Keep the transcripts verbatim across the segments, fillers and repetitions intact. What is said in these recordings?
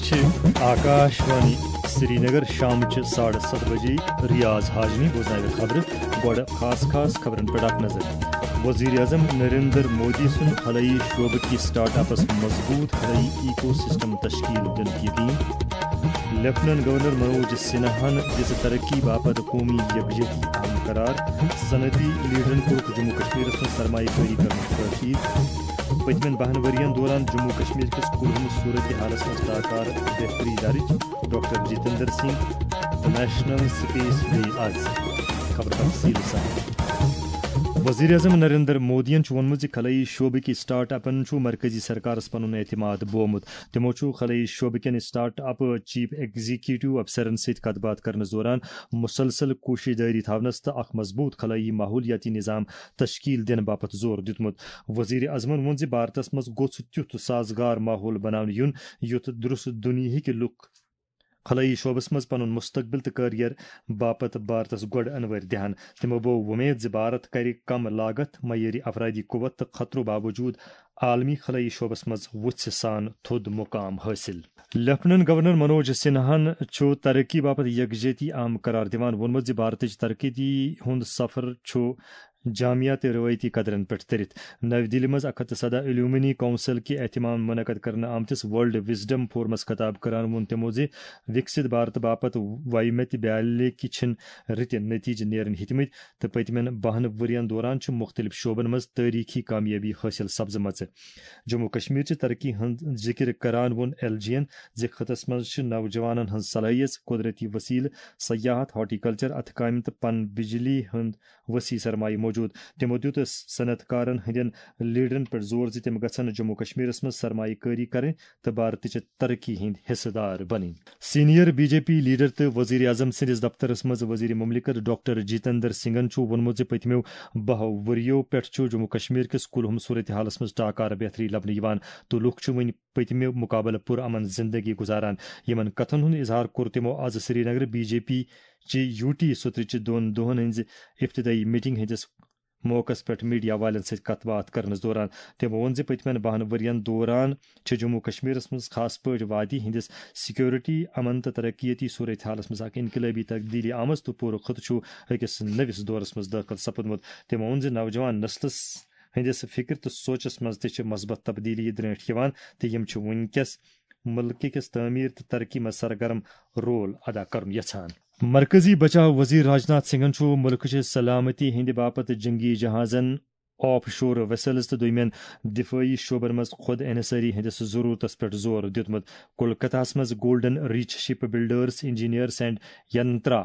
چھِ آکاش وانی سرینگر۔ شامچہِ ساڑٕ ستھ بجے ریاض حاجنی بوزناوِ خبرٕ۔ گۄڈٕ خاص خاص خبرن پٮ۪ٹھ اکھ نظر۔ وزیر اعظم نریندر مودی سُنٛد خلٲیی شعبہٕ کہِ سٹارٹ اپس مضبوٗط خلٲیی ایکو سسٹم تشکیل دِنُک یقین۔ لیفٹیننٹ گورنر منوج سنہاہن دِژ ترقی باپتھ قومی یکجہتی اہم قرار۔ صنعتی لیڈرن کوٚرُکھ جموں کشمیرس منٛز سرمایہ کٲری کرنُک تاکید۔ پٔتمٮ۪ن بَہَن ؤرین دوران جموں کشمیر کِس کُلہُم صورت حالس منٛز ٹاکار بہتری درج، doctor Jitendra Singh. National space day آز۔ خبر تفصیل سان۔ وزیر اعظم نریندر مودیَن چھُ ووٚنمُت زِ خلٲیی شعبٕکۍ سٹارٹ اپن چھُ مرکزی سرکارس پنُن اعتماد بومُت۔ تِمو چھُ خلٲیی شعبہٕ کٮ۪ن سٹارٹ اپ چیف ایگزیکیٹو افسرن سۭتۍ کتھ باتھ کرنس دوران مسلسل کوشش جٲری تھاونس تہٕ اکھ مضبوٗط خلٲیی ماحولیاتی نظام تشکیل دِنہٕ باپتھ زور دیُتمُت۔ وزیر اعظمن ووٚن زِ بھارتس منٛز گوٚژھ تیُتھ سازگار ماحول بناونہٕ یُن، یُتھ درست دُنیاہٕکۍ لُکھ خلٲیی شعبس منٛز پنُن مستقبل تہٕ کیریئر باپتھ بھارتس گۄڈٕ انوٲرۍ دِہن۔ تِمو بوو وۄمید زِ بھارت کرِ کم لاگت، معیٲری افرادی قوت تہٕ خطرو باوجود عالمی خلٲیی شعبس منٛز وُژھِ سان تھوٚد مقام حٲصِل۔ لیفٹیننٹ گورنر منوج سنہاہن چھُ ترقی باپتھ یکجہتی اہم قرار دِوان ووٚنمُت زِ بھارتٕچ ترقی ہُنٛد سفر چھُ جامعہ تہٕ روایتی قدرن پٮ۪ٹھ تٔرِتھ۔ نَوِ دِلہِ منٛز اَکھ ہَتھ تہٕ سَداہ ایلومنی کونسل کہِ اہتمام منعقد کرنہٕ آمتِس ورلڈ وزڈم فورمس خطاب کران ووٚن تِمو زِ وِکسِت بھارت باپتھ وایمتہِ بیالہِ کہِ چھِن رٕتہِ نتیجہٕ نیرٕنۍ ہیٚتمٕتۍ تہٕ پٔتمٮ۪ن بَہَن ؤرین دوران چھِ مُختٔلِف شعبن منٛز تٲریخی کامیٲبی حٲصِل سپزمٕژ۔ جموں کشمیر چہِ ترقی ہُنٛد ذِکر کران ووٚن ایل جی ین زِ خطس منٛز چھِ نوجوانن ہٕنٛز صلٲحیژ، قدرتی وسیلہٕ، سیاحت، ہارٹیکلچر، اتھٕ کامہِ تہٕ پن بجلی ہُنٛد وسیع سرمایہ موجود۔ تِمو دیُت صنعت کارن ہٕنٛدٮ۪ن لیڈرن پٮ۪ٹھ زور زِ تِم گژھن جموں کشمیرس منٛز سرمایہ کٲری کرٕنۍ تہٕ بھارتٕچہِ ترقی ہٕنٛدۍ حصہٕ دار بنٕنۍ۔ Senior B J P leader تہٕ وزیر اعظم سٕنٛدِس دفترس منٛز وزیر مملکت ڈاکٹر جتیندر سنگھن چھُ ووٚنمُت زِ پٔتمیو بَہَو ؤرِیو پٮ۪ٹھ چھُ جموں کشمیر کِس کُلہُم صورتحالس منٛز ٹاکار بہتری لبنہٕ یِوان تہٕ لُکھ چھِ وۄنۍ پٔتمہِ مقابلہٕ پُر امن زندگی گزاران۔ یِمن کتھن ہُنٛد اظہار کوٚر تِمو از سرینگر بی جے پی چہِ یو ٹی سترٕچہِ دۄن دۄہن ہٕنٛزِ افتتاحی میٹنگ ہٕنٛدِس موقعس پٮ۪ٹھ میڈیا والٮ۪ن سۭتۍ کتھ باتھ کرنس دوران۔ تِمو ووٚن زِ پٔتمٮ۪ن بَہَن ؤرین دوران چھِ جموں کشمیرس منٛز خاص پٲٹھۍ وادی ہٕنٛدِس سیکورٹی، امن تہٕ ترقیتی صورتحالس منٛز اکھ انقلٲبی تبدیلی آمٕژ تہٕ پوٗرٕ خطہٕ چھُ أکِس نٔوِس دورس منٛز دٲخل سپُدمُت۔ تِمو ووٚن زِ نوجوان نسلس ہٕنٛدِس فکر تہٕ سوچس منٛز تہِ چھِ مثبت تبدیلی درٲنٹھۍ یِوان تہٕ یِم چھِ وٕنکیٚس مُلکہٕ کِس تعمیٖر تہٕ ترقی منٛز سرگرم رول ادا کرُن یژھان۔ مرکزی بچاو وزیر راجناتھ سنگھن چھُ مُلکٕچہِ سلامتی ہٕنٛدِ باپتھ جنگی جہازن، آف شور ویسلز تہٕ دوٚیمٮ۪ن دفٲعی شعبن منٛز خود انحصٲری ہٕنٛدِس ضروٗرتس پٮ۪ٹھ زور دیُتمُت۔ کولکتہس منٛز golden reach shipbuilders, engineers and Yantra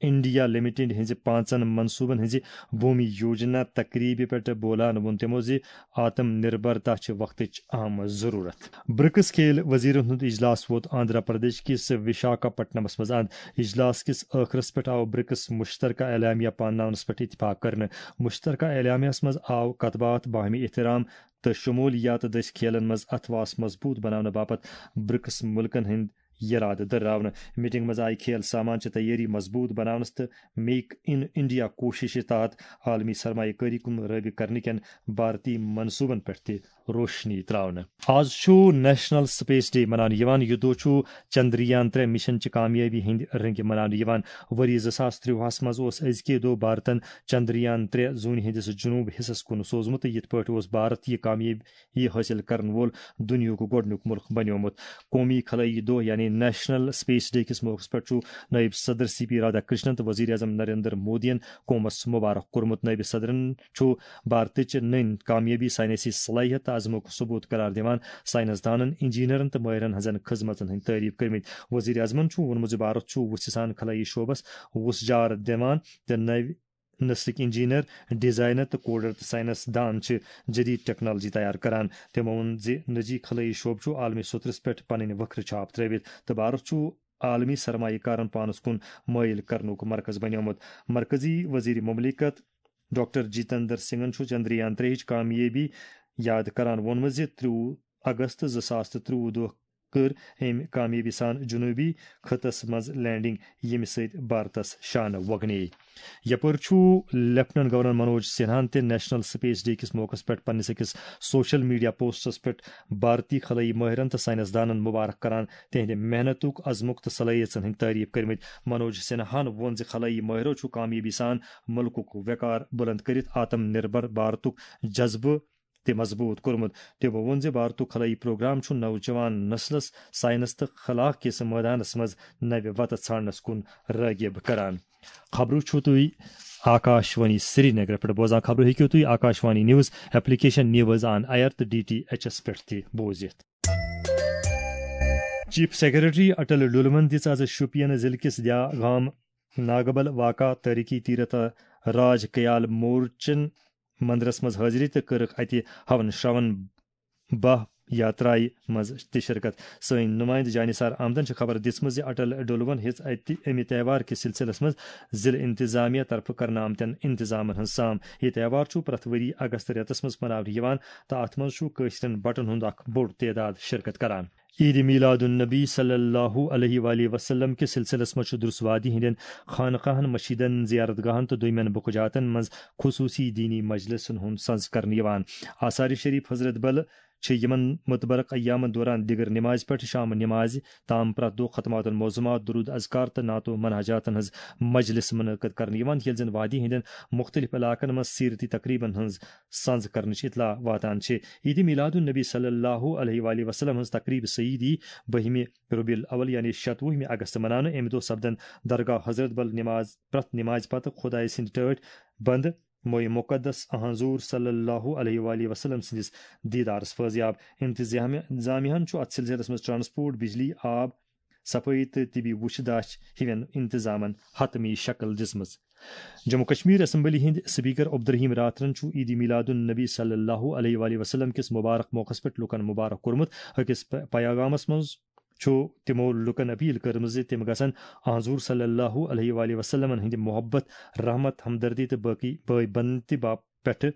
India limited ہٕنٛزِ پانٛژن منصوٗبن ہٕنٛزِ بھومی یوجنا تقریبہِ پٮ۪ٹھ بولان ووٚن تِمو زِ آتم نربرتا چھِ وقتٕچ اہم ضروٗرت۔ برکس کھیل وزیرن ہُنٛد اجلاس ووت آندھرا پردیش کِس وشاکھاپٹنمس منٛز اند۔ اجلاس کِس ٲخرس پٮ۪ٹھ آو برکس مشترکہ اعلامیہ پانناونس پٮ۪ٹھ اتفاق کرنہٕ۔ مشترکہ اعلامیہس منٛز آو کتھ باتھ، باہمی احترام تہٕ شمولیات دٔسۍ کھیلن منٛز اتھواس مضبوٗط بناونہٕ باپتھ برکس مُلکن ہٕنٛدۍ یرادٕ دٔرراونہٕ۔ میٹنگ منٛز آیہِ کھیل سامان چہِ تیٲری مضبوٗط بناونس تہٕ میک ان انڈیا کوششہِ تحت عالمی سرمایہ کٲری کُن رٲغب کرنہٕ کٮ۪ن بھارتی منصوٗبن پٮ۪ٹھ تہِ روشنی تراونہٕ۔ آز چھُ نیشنل سپیس ڈے مناونہٕ یِوان۔ یہِ دۄہ چھُ چندریان ترٛےٚ مشن چہِ کامیٲبی ہٕنٛدۍ رٔنگۍ مناونہٕ یِوان۔ ؤری زٕ ساس ترٛوہس منٛز اوس أزکے دۄہ بھارتن چندریان ترٛےٚ زوٗنہِ ہٕنٛدِس جنوٗب حصس کُن سوزمُت تہٕ یِتھ پٲٹھۍ اوس بھارت یہِ کامیٲبی حٲصِل کرن وول دُنیاہُک گۄڈٕنیُک مُلک بنیومُت۔ قومی خلٲیی دۄہ یعنی نیشنل سپیس ڈے کِس موقعس پٮ۪ٹھ چھُ نٲیِب صدر سی پی رادھا کرشنن تہٕ وزیر اعظم نریندر مودیَن قومس مبارک کوٚرمُت۔ نٲیِب صدرن چھُ بھارتٕچ نٔنۍ کامیٲبی، ساینسی صلٲحیت تہٕ عزمُک ثبوت قرار دِوان ساینس دانن، انجینئرن تہٕ مٲہرن ہٕنٛزن خدمژن ہٕنٛدۍ تعریف کٔرمٕتۍ۔ وزیر اعظمن چھُ ووٚنمُت زِ بھارت چھُ وُژھِ سان خلٲیی شعبس وُژھ جار دِوان تہٕ نوِ نسلٕکۍ انجینئر، ڈیزائنر تہٕ کوڈر تہٕ ساینس دان چھِ جدید ٹیکنالوجی تیار کران۔ تِمو ووٚن زِ نجی خلٲیی شعبہٕ چھُ عالمی سطحس پٮ۪ٹھ پنٕنۍ وکھرٕ چھاپ ترٲوِتھ تہٕ بھارت چھُ عالمی سرمایہ کارن پانس کُن مٲیِل کرنُک مرکز بنیومُت۔ مرکزی وزیر مملکت ڈاکٹر جتیندر سنگھن چھُ چندریان ترٛیٚیِچ کامیٲبی یاد کران ووٚنمُت زِ ترٛوُہ اگست زٕ ساس تہٕ ترٛوُہ دۄہ کٔر أمۍ کامیٲبی سان جنوٗبی خطس منٛز لینڈنگ، ییٚمہِ سۭتۍ بھارتس شانہٕ وۄگنے۔ یپٲرۍ چھُ لیفٹیننٹ گورنر منوج سنہاہن تہِ نیشنل سپیس ڈے کِس موقعس پٮ۪ٹھ پننِس أکِس سوشل میڈیا پوسٹس پٮ۪ٹھ بھارتی خلٲیی مٲہرن تہٕ ساینس دانن مبارک کران تِہنٛدِ محنتُک، عزمُک تہٕ صلٲحیژن ہٕنٛدۍ تعریف کٔرمٕتۍ۔ منوج سنہاہن ووٚن زِ خلٲیی مٲہرو چھُ کامیٲبی سان مُلکُک وقار بُلند کٔرِتھ آتم نربھر بھارتُک جذبہٕ تہِ مضبوٗط کوٚرمُت۔ تٔمۍ ووٚن زِ بھارتُک خلٲیی پروگرام چھُ نوجوان نسلس ساینس تہٕ خلا کِس مٲدانس منٛز نوِ وتہٕ ژھانڈنس کُن رٲغب کران۔ خبرو چھِو تُہۍ آکاشوانی سرینگر پٮ۪ٹھ بوزان۔ خبرو ہیٚکِو تُہۍ Akashvani news application news on air تہٕ ڈی ٹی ایچ ایس پٮ۪ٹھ تہِ بوٗزِتھ۔ چیف سیکرٹری اٹل ڈولون دِژ آز شوپین ضلعہٕ کِس دیا گام ناگبل واقع تٲریخی تیرتھ راج کیال مورچن مندرس منٛز حٲضری تہٕ کٔرٕکھ اتہِ ہون شرون باہ یاترایہِ منٛز تہِ شرکت۔ سٲنۍ نمائندٕ جانثار احمدن چھِ خبر دِژمٕژ زِ اٹل ڈولون ہیٚژ اتہِ امہِ تہوار کِس سلسلس منٛز ضلعہٕ انتظامیہ طرفہٕ کرنہٕ آمتٮ۪ن انتظامن ہٕنٛز سام۔ یہِ تہوار چھُ پرٛٮ۪تھ ؤری اگست رٮ۪تس منٛز مناونہٕ یِوان تہٕ اتھ منٛز چھُ کٲشرٮ۪ن بٹن ہُنٛد اکھ بوٚڑ تعداد شرکت کران۔ عید میلاد النبی صلی اللہ علیہ وآلہ وسلم کِس سلسلس منٛز چھُ درس وادی ہٕنٛدٮ۪ن خانقاہن، مشیدن، زیارت گاہن تہٕ دوٚیمٮ۪ن بُقہٕ جاتن منٛز خصوصی دینی مجلسن ہُنٛد سنز کرنہٕ یِوان۔ آثار شریف حضرت بل چھِ یِمن متبرک ایامن دوران دِگر نمازِ پٮ۪ٹھ شام نمازِ تام پرٛٮ۪تھ دۄہ ختمات المعظمات، درود اذکار تہٕ نعت و مناجاتن ہٕنٛز مجلس منعقد کرنہٕ یِوان، ییٚلہِ زن وادی ہٕنٛدٮ۪ن مختلف علاقن منٛز سیرتی تقریبن ہٕنٛز سنز کرنٕچ اطلاع واتان چھِ۔ عید میلاد النبی صلی اللہ علیہ وآلہ وسلم ہٕنٛز تقریب سعیدی بٔہمہِ ربیع الاول یعنی شتوُہمہِ اگست مناونہٕ۔ امہِ دۄہ سپدن درگاہ حضرت بل نماز، پرٛٮ۪تھ نمازِ پتہٕ خدایہِ سٕنٛدِ ٹٲٹھۍ بندٕ موئے مقدس حضور صلی اللہ علیہ وآلہ وسلم سٕنٛدِس دیدارس فٲضیاب۔ انتظامیہ، انتظامیہ ہن چھُ اتھ سلسلس منٛز ٹرانسپورٹ، بجلی، آب، صفٲیی تہٕ طبی وُچھ داچھ ہِوٮ۪ن انتظامن حتمی شکل دِژمٕژ۔ جموں کشمیر اسمبلی ہٕنٛدۍ سپیکر عبدالرحیم راتھرن چھُ عید میلاد النبی صلی اللہ علیہ وآلہ وسلم کِس مبارک موقعس پٮ۪ٹھ لوٗکن مبارک کوٚرمُت۔ أکِس پ-، پیغامس منٛز چھُ تِمو لوٗکن اپیل کٔرمٕژ زِ تِم گژھن حضور صلی اللہ علیہ وآلہ وسلمن ہٕنٛدِ محبت، رحمت، ہمدردی تہٕ باقی بٲے بنتی باپ پٮ۪ٹھٕ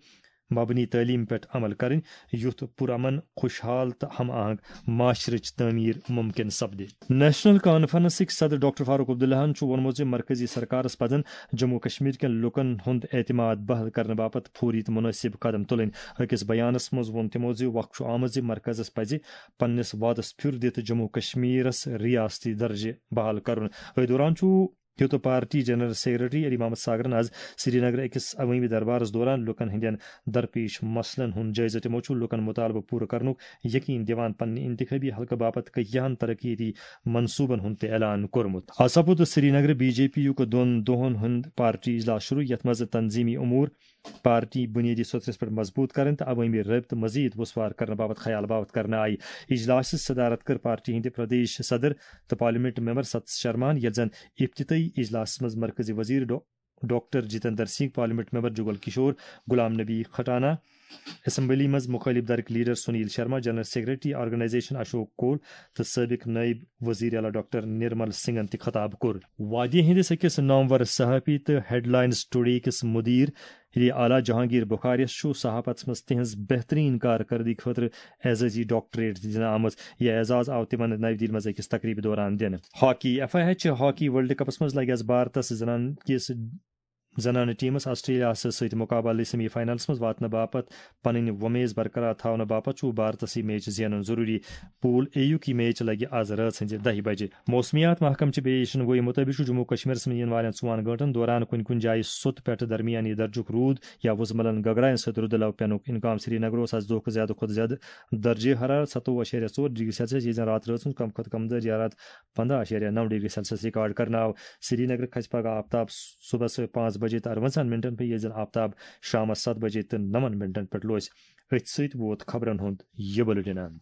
مبنی تعلیٖم پٮ۪ٹھ عمل کرٕنۍ، یُتھ پُرامن، خوشحال تہٕ ہم آہنگ معاشرٕچ تعمیٖر مُمکِن سپدِ۔ نیشنل کانفرنسٕکۍ صدر ڈاکٹر فاروق عبداللہن چھُ ووٚنمُت زِ مرکزی سرکارس پزن جموں کشمیر کٮ۪ن لوٗکن ہُنٛد اعتماد بحل کرنہٕ باپتھ فوری تہٕ مناسب قدم تُلٕنۍ۔ أکِس بیانس منٛز ووٚن تِمو زِ وق چھُ آمُت زِ مرکزس پزِ پننِس وعدس پھِر دِتھ جموں کشمیرس ریاستی درجہٕ بحال کرُن۔ أتھۍ دوران چھُ یوٚت party general secretary Ali Mohammad ساگرن آز سری نگر أکِس عوٲمی دربارس دوران لوٗکن ہٕنٛدٮ۪ن درپیش مسلن ہُنٛد جٲیزٕ۔ تِمو چھُ لوٗکن مُطالبہٕ پوٗرٕ کرنُک یقین دِوان پننہِ انتخابی حلقہٕ باپتھ کٔہیاہن ترقیتی منصوٗبن ہُنٛد تہِ اعلان کوٚرمُت۔ آز سپُد سری نگر بی جے پی یُک دۄن دۄہن ہُنٛد پارٹی اجلاس شروع، یتھ منٛز تنظیمی امور، پارٹی بنیٲدی سترس پٮ۪ٹھ مضبوٗط کرٕنۍ تہٕ عوٲمی رٲبطہٕ مزید وسوار کرنہٕ باپتھ خیال باوت کرنہٕ آیہِ۔ اجلاسٕچ صدارت کٔر پارٹی ہٕنٛدِ پردیش صدر تہٕ پارلیمنٹ ممبر ستس شرماہن، ییٚلہِ زن افتتاحی اجلاسس منٛز مرکزی وزیر ڈا-، doctor Jitendra Singh, parliament member Jugal Kishore, Ghulam Nabi Khatana, assembly منٛز مخالف دھڑٕکۍ leader Sunil Sharma, general secretary organisation Ashok Koul تہٕ سابق نائب وزیر اعلیٰ ڈاکٹر نرمل سنگھن تہِ خطاب کوٚر۔ وادی ہٕنٛدِس أکِس نامور صحافی تہٕ ہیڈ لائنز ٹوڈے کِس مدیر اعلیٰ جہانگیر بخاریَس چھُ صحافتس منٛز تِہنٛز بہترین کارکردگی خٲطرٕ اعزازی ڈاکٹریٹ تہِ دِنہٕ آمٕژ۔ یہِ اعزاز آو تِمن نَوِ دِلہِ منٛز أکِس تقریبہِ دوران دِنہٕ۔ Hockey, F I H hockey world کپس منٛز لگہِ آز بھارتس زنان کِس، زنانہٕ ٹیمس آسٹریلیاہس سۭتۍ مقابلہٕ سیمی فائنلس منٛز واتنہٕ باپتھ پنٕنۍ وۄمیز برقرار تھاونہٕ باپتھ چھُ بھارتس یہِ میچ زینُن ضروری۔ پول اے یُک یہِ میچ لگہِ آز رٲژ ہٕنزِ دَہہِ بجہِ۔ موسمیات محکمہٕ چہِ پیشن گوئی مُطٲبِق چھُ جموں کشمیرس منٛز یِنہٕ والٮ۪ن ژۄن گٲنٛٹن دوران کُنہِ کُنہِ جایہِ سوٚت پٮ۪ٹھ درمیانی درجُک روٗد یا وُزملن گگرایَن سۭتۍ رُدٕ لو پینُک امکان۔ سری نگر اوس آز دۄہُک زیادٕ کھۄتہٕ زیادٕ درجہ حرارت ستووُہ اَشاریہ ژور ڈگری سیلسیس، ییٚتہِ زن راتہٕ رٲژ ہُنٛد کم کھۄتہٕ کم درجہ حرارت پنداہ اَشاریہ نَو ڈگری سیلسیس ریکارڈ کرنہٕ آو۔ سری نگر کھسہِ پگہہ آفتاب صبحس پانٛژھ بجے تہٕ اَروَنزاہن منٹن پٮ۪ٹھ، ییٚلہِ زن آفتاب شامس ستھ بجے تہٕ نَوَن منٹن پٮ۪ٹھ لوسہِ۔ أتھۍ سۭتۍ ووت خبرن ہُنٛد یہِ بُلٹن اند۔